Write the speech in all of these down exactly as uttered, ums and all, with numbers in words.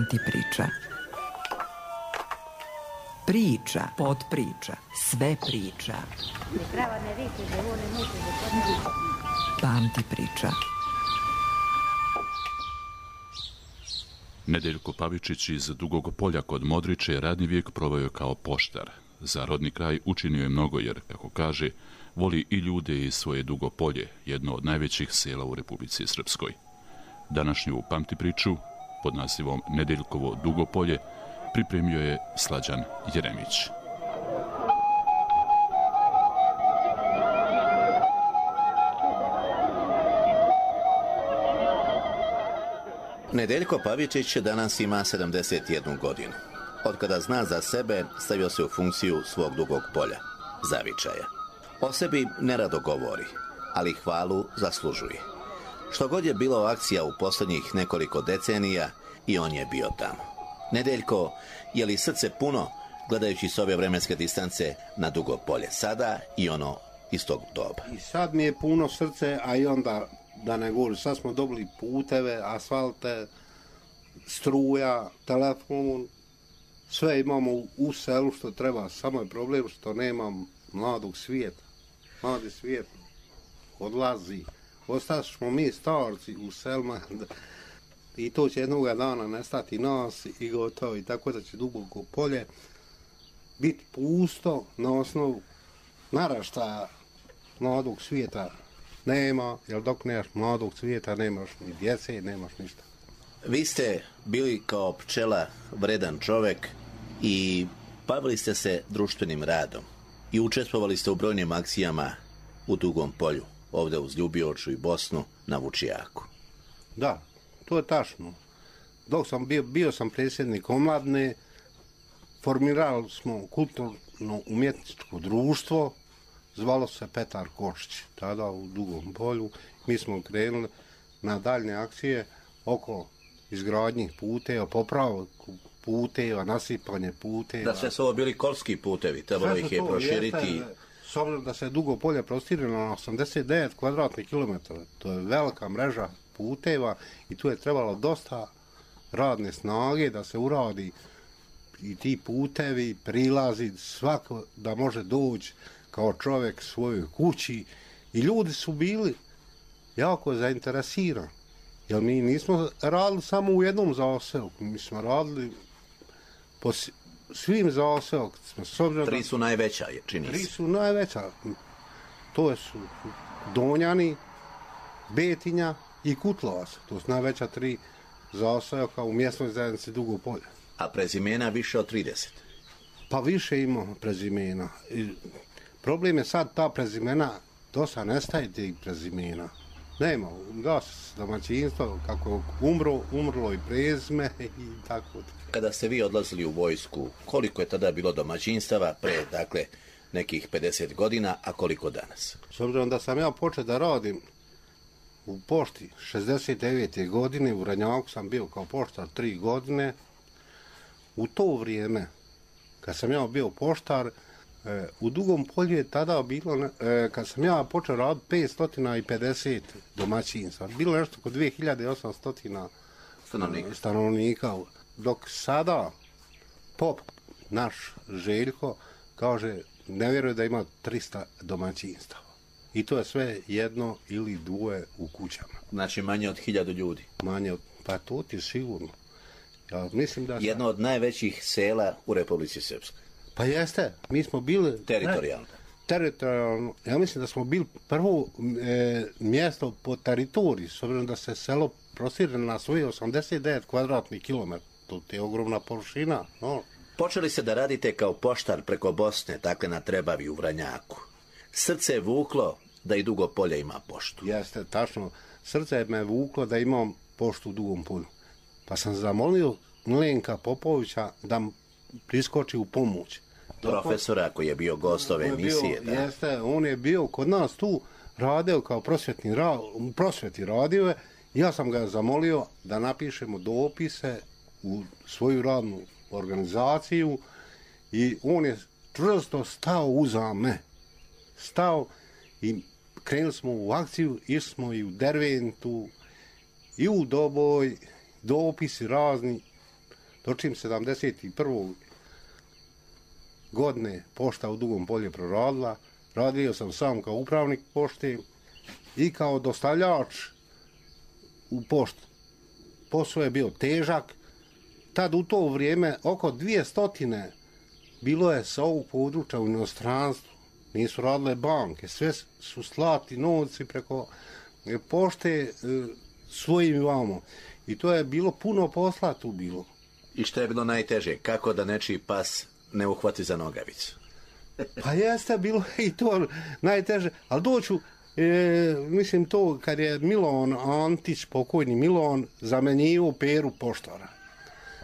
Pamti priča. Priča, podpriča, sve priča. Pamti priča. Nedeljko Pavičić iz Dugog Polja kod Modriče radni vijek proveo kao poštar. Za rodni kraj učinio je mnogo jer, kako kaže, voli i ljude iz svoje Dugo Polje, jedno od najvećih sela u Republici Srpskoj. Današnju Pamti priču pod nazivom Nedeljkovo Dugo Polje pripremio je Slađan Jeremić. Nedeljko Pavičić danas ima sedamdeset jednu godinu. Od kada zna za sebe, stavio se u funkciju svog Dugog Polja, zavičaja. O sebi nerado govori, ali hvalu zaslužuje. Što god je bilo akcija u posljednjih nekoliko decenija, i on je bio tamo. Nedeljko, je li srce puno, gledajući s ove vremenske distance na Dugo Polje sada i ono iz tog doba? I sad mi je puno srce, a i onda, da ne govorim, sad smo dobili puteve, asfalte, struja, telefon, sve imamo u selu što treba, samo je problem što nemam mladog svijeta. Mladi svijet odlazi. Ostali smo mi starci u selima i to će jednog dana nestati nas i gotovo. I tako da će Duboko Polje biti pusto na osnovu naraštaja mladog svijeta nema, jer dok nemaš mladog svijeta nemaš ni djece, nemaš ništa. Vi ste bili kao pčela vredan čovjek i bavili ste se društvenim radom i učestvovali ste u brojnim akcijama u Dugom Polju, ovdje uz Ljubioču i Bosnu na Vučijaku. Da, to je tačno. Dok sam bio, bio sam predsjednik omladne, formirali smo kulturno-umjetničko društvo, zvalo se Petar Košić, tada u Dugom Polju. Mi smo krenuli na daljne akcije oko izgradnjih puteva, popravku puteva, nasipanje puteva. Da, sve su ovo bili kolski putevi, trebalo ih je proširiti. Jeste, s obzirom da se Dugo Polje prostire na osamdeset devet kvadratnih kilometara, to je velika mreža puteva i tu je trebalo dosta radne snage da se uradi i ti putevi, prilazi, svako da može doći kao čovjek svojoj kući i ljudi su bili jako zainteresirani. Jer mi nismo radili samo u jednom zaseoku, mi smo radili po svim zaseokima. Tri su najveća, čini se. Tri su najveća. To su Donjani, Betinja i Kutlovac. To su najveća tri zaseoka u mjesnoj zajednici Dugo Polje. A prezimena više od trideset? Pa više ima prezimena. I problem je sad ta prezimena, dosta nestaje tih prezimena. Nema, da, domaćinstvo, kako umro, umrlo i prezime i tako. Kada ste vi odlazili u vojsku, koliko je tada bilo domaćinstava pre, dakle, nekih pedeset godina, a koliko danas? S obzirom da sam ja počeo da radim u pošti šezdeset devete godine, u Ranjaku sam bio kao poštar tri godine, u to vrijeme, kad sam ja bio poštar, u Dugom Polju je tada bilo, kad sam ja počeo raditi, petsto pedeset domaćinstva. Bilo nešto oko dvije hiljade osamsto stanovnika. stanovnika. Dok sada pop, naš Željko, kaže, ne vjeruje da ima trista domaćinstava. I to je sve jedno ili dvoje u kućama. Znači manje od hiljadu ljudi. Manje od, pa to ti sigurno. Ja mislim da sam... Jedno od najvećih sela u Republici Srpskoj. Pa jeste, mi smo bili... Teritorijalno. Teritorijalno. Ja mislim da smo bili prvo e, mjesto po teritoriji, s obzirom da se selo prostire na svoje osamdeset devet kvadratnih kilometara. To je ogromna površina. No. Počeli ste da radite kao poštar preko Bosne, dakle na Trebavi u Vranjaku. Srce je vuklo da i Dugo Polje ima poštu. Jeste, tačno. Srce me vuklo da imam poštu u Dugom Polju. Pa sam zamolio Milenka Popovića da priskoči u pomoć. Profesora koji je bio gost ove emisije. Bio, da. Jeste, on je bio kod nas tu, radio kao prosvjetni ra, prosvjeti radio. Ja sam ga zamolio da napišemo dopise u svoju radnu organizaciju i on je čvrsto stao uza me. Stao i krenuli smo u akciju, išli smo i u Derventu, i u Doboj, dopisi razni. dočim sedamdeset prve godine pošta u Dugom Polju proradila, radio sam sam kao upravnik pošte i kao dostavljač u poštu. Posao je bio težak, tad u to vrijeme oko dvije stotine bilo je sa ovog područja u inostranstvu, nisu radile banke, sve su slati novci preko pošte svojim vamo. I to je bilo puno posla tu bilo. I što je bilo najteže? Kako da nečiji pas ne uhvati za nogavicu? Pa jeste, bilo i to najteže, ali doću, e, mislim to kad je Milon Antić, pokojni Milon, zamenjivo Peru poštara.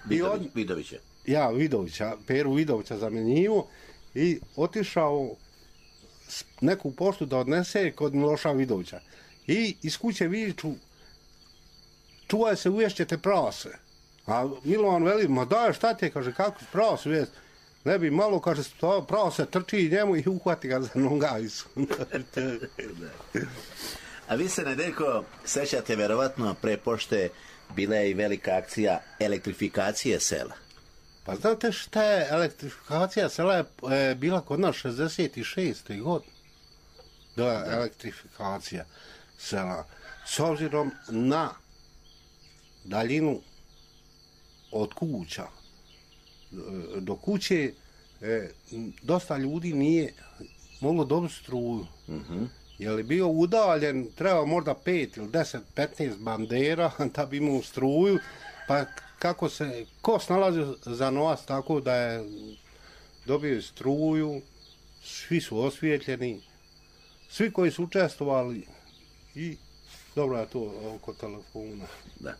Vidović, od... Vidovića. Ja, Vidovića, Peru Vidovića zamenjivo i otišao neku poštu da odnese kod Miloša Vidovića. I iz kuće viču, čuvaj se, uješćete prase. A Milovan veli, ma daj, šta ti je, kaže, kako se prase ujest? Ne bi malo, kaže, prase trči njemu i uhvati ga za nogavicu. A vi se, Nedeljko, sećate, verovatno, pre pošte bila je i velika akcija elektrifikacije sela. Pa znate šta je elektrifikacija sela je, je bila kod nas šezdeset šeste godine. Da je elektrifikacija sela. S obzirom na daljinu od kuća do kuće, e, dosta ljudi nije moglo dobiti struju. Mm-hmm. Je li bio udaljen, treba možda pet ili deset, petnaest bandera da bi imao struju, pa kako se, ko snalazi za novac tako da je dobio struju, svi su osvijetljeni, svi koji su učestvovali i dobro je to oko telefona. Da.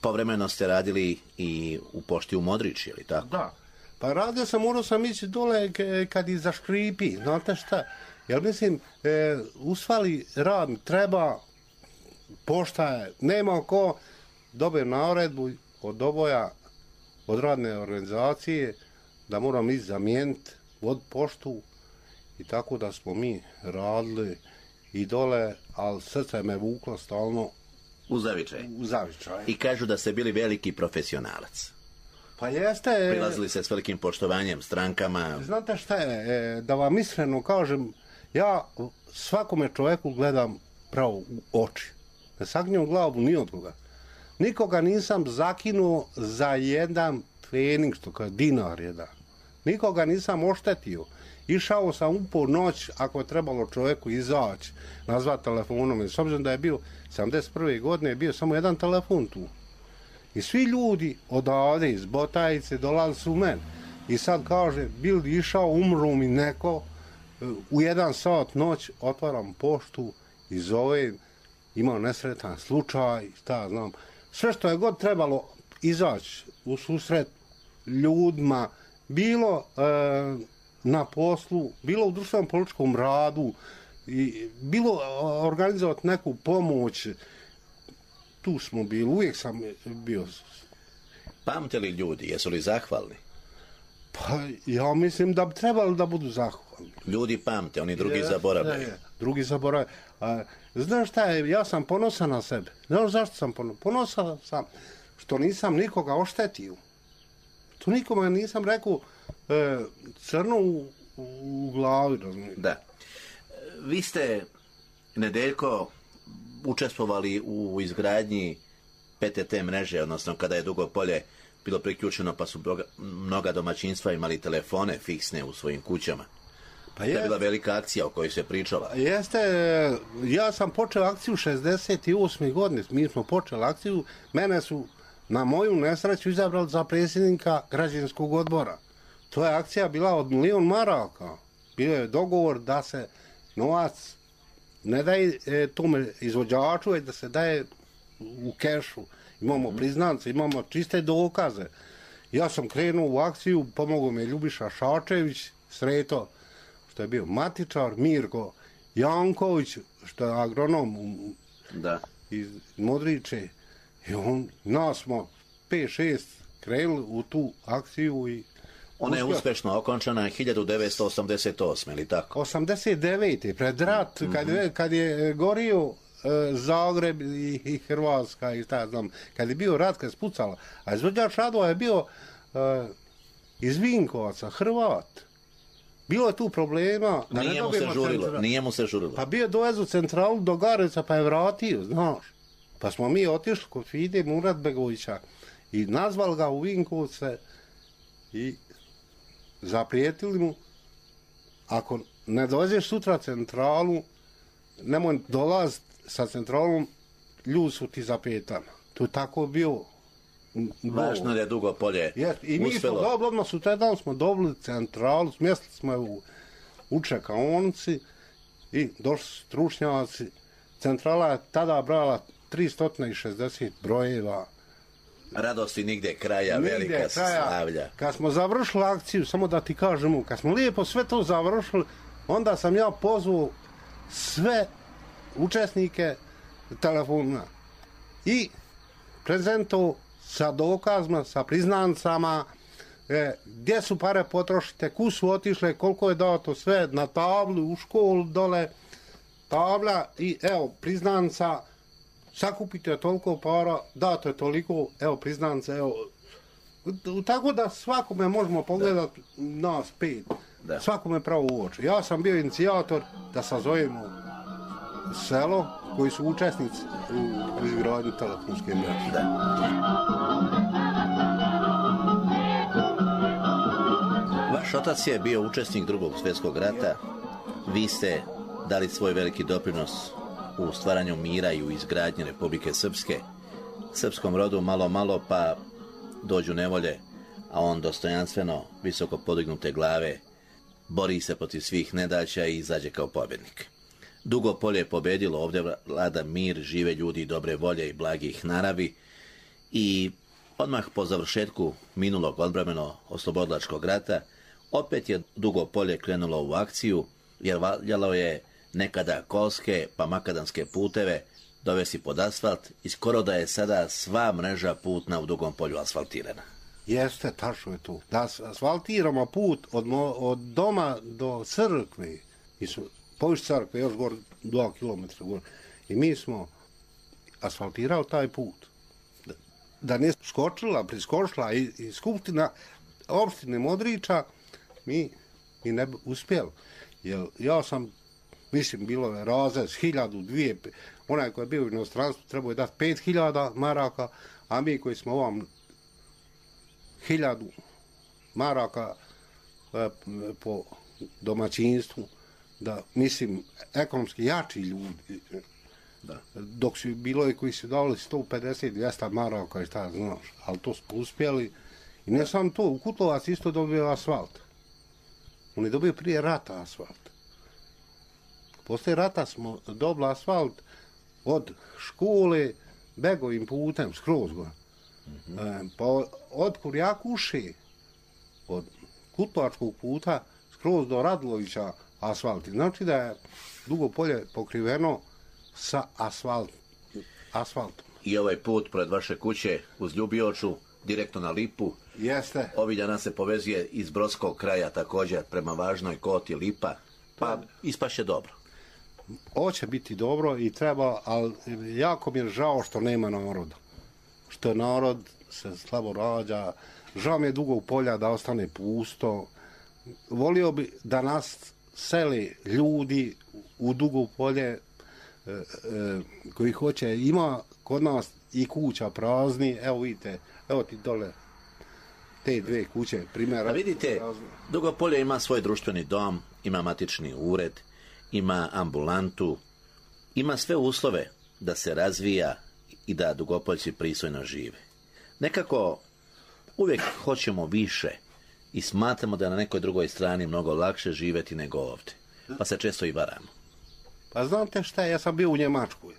Povremeno ste radili i u pošti u Modriči, ili tako? Da. Pa radio sam, morao sam ići dole kad i zaškripi, znate šta? Jer mislim, e, usvali rad treba, pošta je, nema ko dobije naredbu od oboja, od radne organizacije, da moram ići zamijeniti od poštu i tako da smo mi radili i dole, ali srce me vuklo stalno u zavičaj. U zavičaj. I kažu da ste bili veliki profesionalac. Pa jeste. Prilazili se s velikim poštovanjem, strankama. Znate šta je, da vam iskreno kažem, ja svakome čovjeku gledam pravo u oči. Ne sagnjem glavu ni od koga. Nikoga nisam zakinuo za jedan trening, što kao dinar jedan. Nikoga nisam oštetio. Išao sam u po noć, ako je trebalo čovjeku izaći, nazvati telefonom. S obzirom da je bio sedamdeset prve godine, je bio samo jedan telefon tu. I svi ljudi odavde iz Botajice dolazili su u mene. I sad kaže, bil išao, umru mi neko, u jedan sat noć otvaram poštu i zovem, imao nesretan slučaj, šta znam. Sve što je god trebalo izaći u susret ljudima, bilo e, na poslu, bilo u društvenom političkom radu, i bilo organizovati neku pomoć, tu smo bili, uvijek sam bio. Pamte li ljudi, jesu li zahvalni? Pa ja mislim da bi trebali da budu zahvalni. Ljudi pamte, oni drugi zaboravljaju. Drugi zaboravljaju. Znaš šta je, ja sam ponosan na sebe. Znaš zašto sam ponosan? Ponosan sam što nisam nikoga oštetio. To nikome nisam rekao e, crno u, u glavi. Razumije. Da. Vi ste, Nedeljko, učestvovali u izgradnji P T T mreže, odnosno kada je Dugo Polje bilo priključeno, pa su mnoga domaćinstva imali telefone fiksne u svojim kućama. Pa je, to je bila velika akcija o kojoj se pričala. Jeste, ja sam počeo akciju šezdeset osme godine, mi smo počeli akciju, mene su na moju nesreću izabrali za predsjednika građanskog odbora. To je akcija bila od milion maraka. Bio je dogovor da se novac ne daje e, tome izvođaču, da se daje u kešu. Imamo priznance, imamo čiste dokaze. Ja sam krenuo u akciju, pomogao mi Ljubiša Šačević, Sreto, što je bio matičar, Mirko Janković, što je agronom da. Iz Modriče. I on, nas smo pet šest krenuli u tu akciju i ona je uspješno okončana hiljadu devetsto osamdeset osme, ili tako? osamdeset devete pred rat, mm-hmm. kad, je, kad je gorio e, Zagreb i, i Hrvatska i šta ja znam. Kad je bio rat, kad je spucala. A izvođač radova je bio e, iz Vinkovaca, Hrvat. Bilo je tu problema. Da nije, ne mu se žurilo, centra... nije mu se žurilo. Pa bio je dovezu centralu do Gareca pa je vratio, znaš. Pa smo mi otišli kod Fide Muratbegovića i nazvali ga u Vinkovce i zaprijetili mu, ako ne dođeš sutra centralu, nemoj dolaziti sa centralom, ljudi su ti za petama. To je tako bio. Važno je dugo polje yes. I mi uspelo. smo dobili, odmah sutradan smo dobili centralu, smjestili smo je u, u čekaonici i došli stručnjaci. Centrala je tada brala tristo šezdeset brojeva. Radosti nigdje kraja, Nigde velika kraja. slavlja. Kad smo završili akciju, samo da ti kažemo, kad smo lijepo sve to završili, onda sam ja pozvao sve učesnike telefona i prezentovao sa dokazima, sa priznancama, e, gdje su pare potrošite, ku su otišle, koliko je dato, sve na tablu, u školu dole, tabla i evo priznanca, sakupite toliko para, dato je toliko, evo priznanca, evo, tako da svakome možemo pogledati nas pet, Da. svakome pravo u oči. Ja sam bio inicijator da sazovemo selo koji su učesnici u izgradnju telefonske mreže. Da. Vaš otac je bio učesnik drugog svjetskog rata. Vi ste dali svoj veliki doprinos u stvaranju mira i u izgradnji Republike Srpske. Srpskom rodu malo malo pa dođu nevolje, a on dostojanstveno, visoko podignute glave, bori se protiv svih nedaća i izađe kao pobjednik. Dugo polje je pobedilo, ovdje vlada mir, žive ljudi dobre volje i blagih naravi i odmah po završetku minulog odbrambeno oslobodilačkog rata opet je Dugo polje krenulo u akciju jer valjalo je nekada kolske pa makadamske puteve dovesti pod asfalt i skoro da je sada sva mreža putna u Dugom polju asfaltirana. Jeste, tačno je to. Da asfaltiramo put od, mo, od doma do crkve, i su poviš crkve još gore dva kilometra gore. I mi smo asfaltirali taj put. Da, da nije skočila, priskočila i, i skupština opštine Modriča, mi, mi ne bi uspjeli. Jer ja sam, mislim, bilo je razrez, hiljadu, dvije, onaj koji je bio u inostranstvu trebao je dati pet hiljada maraka, a mi koji smo ovam hiljadu maraka e, po domaćinstvu, da, mislim, ekonomski jači ljudi, da. Dok su bilo i koji su dali sto pedeset do dvjesto maraka i šta znaš, ali to smo uspjeli. I ne samo to, u Kutlovac isto dobio asfalt. On je dobio prije rata asfalt. Poslije rata smo dobili asfalt od škole begovim putem, skroz gore. Mm-hmm. E, pa od Kurjakuše, od Kutlovačkog puta, skroz do Radlovića asfalti. Znači da je Dugo polje pokriveno sa asfalt, asfaltom. I ovaj put pred vaše kuće uz Ljubioču, direktno na Lipu. Jeste. Ovih dana se povezuje iz Brodskog kraja također prema Važnoj Koti, Lipa. Pa ispaše dobro. Hoće biti dobro i treba, ali jako mi je žao što nema naroda. Što narod se slabo rađa. Žao mi je Dugog polja da ostane pusto. Volio bi da nas seli ljudi u Dugo polje e, e, koji hoće. Ima kod nas i kuća prazni. Evo vidite, evo ti dole te dve kuće, primjera. A vidite, Dugo polje ima svoj društveni dom, ima matični ured, ima ambulantu, ima sve uslove da se razvija i da Dugopoljci pristojno žive. Nekako uvijek hoćemo više i smatramo da je na nekoj drugoj strani mnogo lakše živjeti nego ovdje. Pa se često i varamo. Pa znate šta, ja sam bio u Njemačkoj.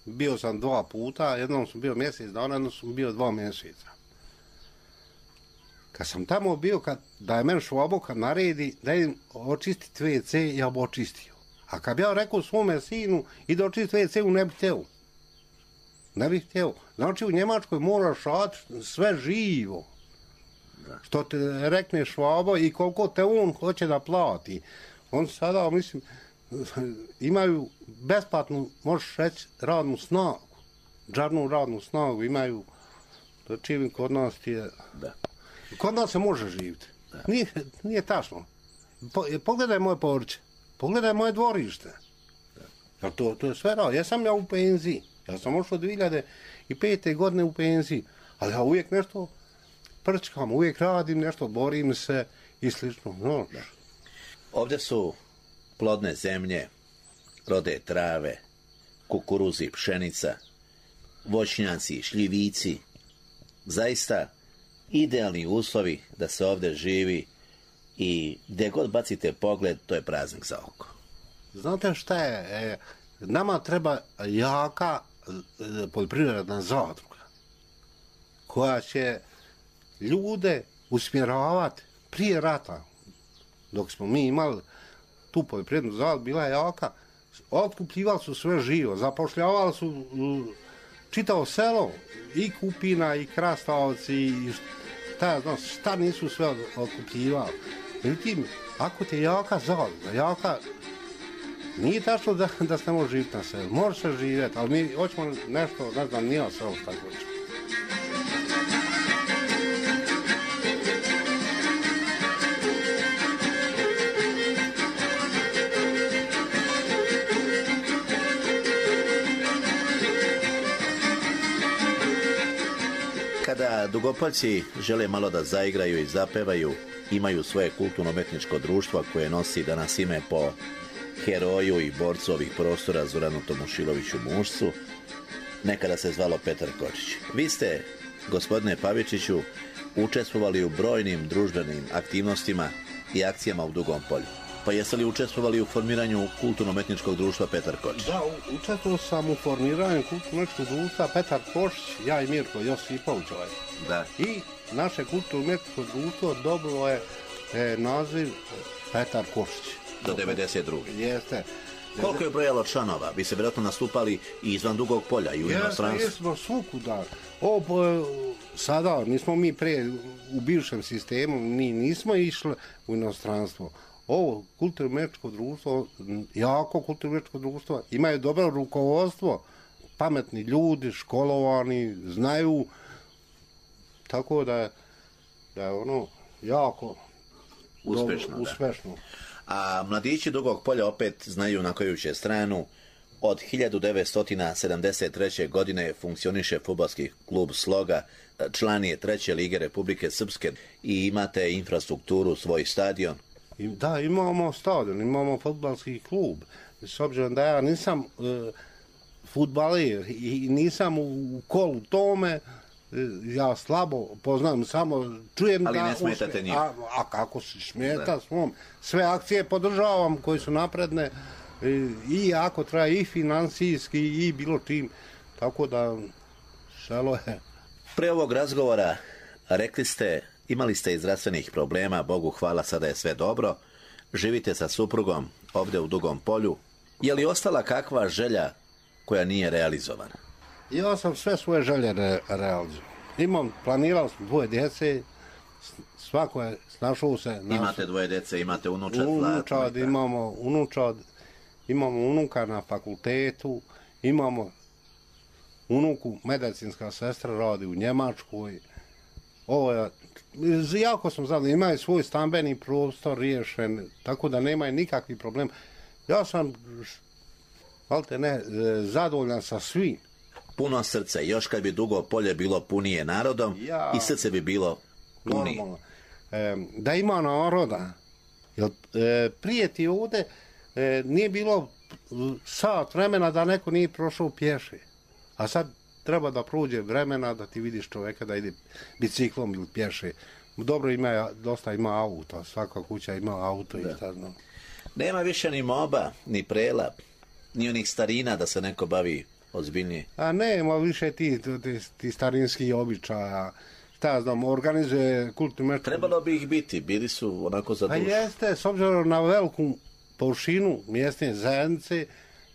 Bio sam dva puta, jednom sam bio mjesec dana, jednom sam bio dva mjeseca. Kad sam tamo bio, kad, da je meni švabo kad naredi da idem očistiti ve ce, ja bi očistio. A kad bi ja rekao svome sinu i da očistiti ve ce, ne bih htio. Ne bih htio. Znači u Njemačkoj moraš raditi sve živo. Da. Što te rekne švabo i koliko te on hoće da plati. On sada, mislim, imaju besplatnu, možeš reći, radnu snagu. Džarnu radnu snagu imaju, to čim kod nas je... Da. Kod nas se može živjeti. Nije, nije tačno. Po, pogledaj moje porće, pogledaj moje dvorište. Ja, to, to je sve rao. Ja sam ja u penziji. Ja sam ošao dvije hiljade pete. godine u penziji. Ali ja uvijek nešto prčkam, uvijek radim nešto, borim se i slično. No. Ovdje su plodne zemlje, rode trave, kukuruzi, pšenica, voćnjaci, šljivici. Zaista idealni uslovi da se ovdje živi i gdje god bacite pogled, to je praznik za oko. Znate šta je? E, nama treba jaka e, poljoprivredna zadruga koja će ljude usmjeravati prije rata. Dok smo mi imali tu poljoprivrednu zadrugu, bila je jaka, otkupljivali su sve živo, zapošljavali su uh, čitavo selo, i Kupina, i Krastavci, i šta ja znam, šta nisu sve otkupljivali. Međutim, ako ti je jaka zadruga, jaka, nije tačno da, da se ne može živjeti na selu, može se živjeti, ali mi hoćemo nešto, ne znam, nije selo šta hoćemo. Kada Dugopoljci žele malo da zaigraju i zapevaju, imaju svoje kulturno-umetničko društvo koje nosi danas ime po heroju i borcu ovih prostora Zoranu Tomošiloviću Mušcu, nekada se zvalo Petar Kočić. Vi ste, gospodine Pavičiću, učestvovali u brojnim društvenim aktivnostima i akcijama u Dugom Polju. Pa jeste li učestvovali u formiranju kulturno-umetničkog društva Petar Kočić? Da, učestvovao sam u formiranju kulturno-umetničkog društva Petar Kočić, ja i Mirko Josipović. Da. I naše kulturno-umetničko društvo dobilo je e, naziv Petar Kočić. Do devedeset druge. Jeste. Koliko je brojalo članova? Vi se vjerojatno nastupali i izvan Dugog Polja i u inostranstvu. Jeste, jesmo svukuda. O, po, sada, nismo mi pre u bivšem sistemu, mi nismo išli u inostranstvo. Ovo kulturno-umetničko društvo, jako kulturno-umetničko društvo, imaju dobro rukovodstvo, pametni ljudi, školovani, znaju, tako da, da je ono jako uspešno. Dobro, uspešno. A mladići Dugog Polja opet znaju na koju će stranu. Od hiljadu devetsto sedamdeset treće. godine funkcioniše fudbalski klub Sloga, član je treće lige Republike Srpske i imate infrastrukturu, svoj stadion. Da, imamo stadion, imamo fudbalski klub. S obzirom da ja nisam e, fudbaler i nisam u, u kolu tome, e, ja slabo poznam, samo čujem ali da... Ali ne smetate njih. A, a kako se smeta svom? Sve akcije podržavam koje su napredne e, i ako treba i financijski i bilo čim. Tako da šalo je. Pre ovog razgovora rekli ste, imali ste i zdravstvenih problema, Bogu hvala, sada je sve dobro. Živite sa suprugom ovdje u Dugom Polju. Je li ostala kakva želja koja nije realizovana? Ja sam sve svoje želje re, realizovao. Imam, planirao sam dvoje djece, svako je snašao se... Naš... Imate dvoje djece, imate unučad, unučad imamo unučad, imamo unuka na fakultetu, imamo unuku, medicinska sestra radi u Njemačkoj. Ovo je, jako sam zadovoljan, imaju svoj stambeni prostor riješen, tako da nemaju nikakvi problem. Ja sam, valjte ne, zadovoljan sa svim. Puno srce, još kad bi Dugo Polje bilo punije narodom, ja, i srce bi bilo punije. E, da ima naroda, jer e, prije ti ovdje e, nije bilo sat vremena da neko nije prošao pješe, a sad treba da prođe vremena da ti vidiš čovjeka da ide biciklom ili pješe. Dobro, ima, dosta ima auto, svaka kuća ima auto i šta znam. Nema više ni moba, ni prela, ni onih starina da se neko bavi ozbiljnije. A nema više ti, ti, ti starinski običaja. Šta znam, organizuje kulturno... Trebalo bi ih biti, bili su onako za dušu. Pa jeste, s obzirom na veliku površinu mjesne zajednice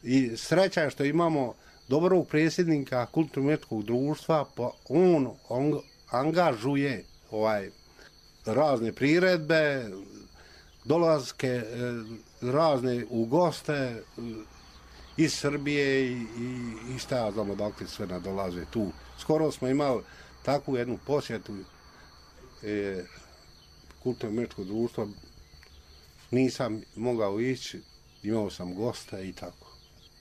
i sreća je što imamo dobrog predsjednika kulturno-umetničkog društva, pa on, on angažuje ovaj razne priredbe, dolazke razne u goste iz Srbije i, i, i šta ja znam odakle sve nadolaze tu. Skoro smo imali takvu jednu posjetu e, kulturno-umjetničkog društva. Nisam mogao ići, imao sam gosta i tako.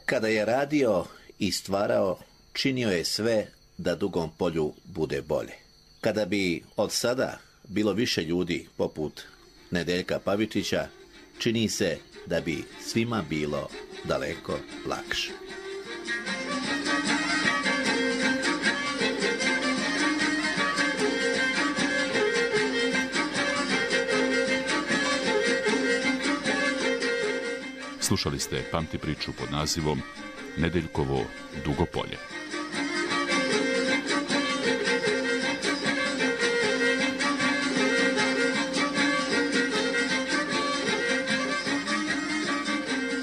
Kada je radio i stvarao, činio je sve da Dugom polju bude bolje. Kada bi od sada bilo više ljudi poput Nedeljka Pavičića, čini se da bi svima bilo daleko lakše. Slušali ste Pamti priču pod nazivom Nedeljkovo Dugo polje.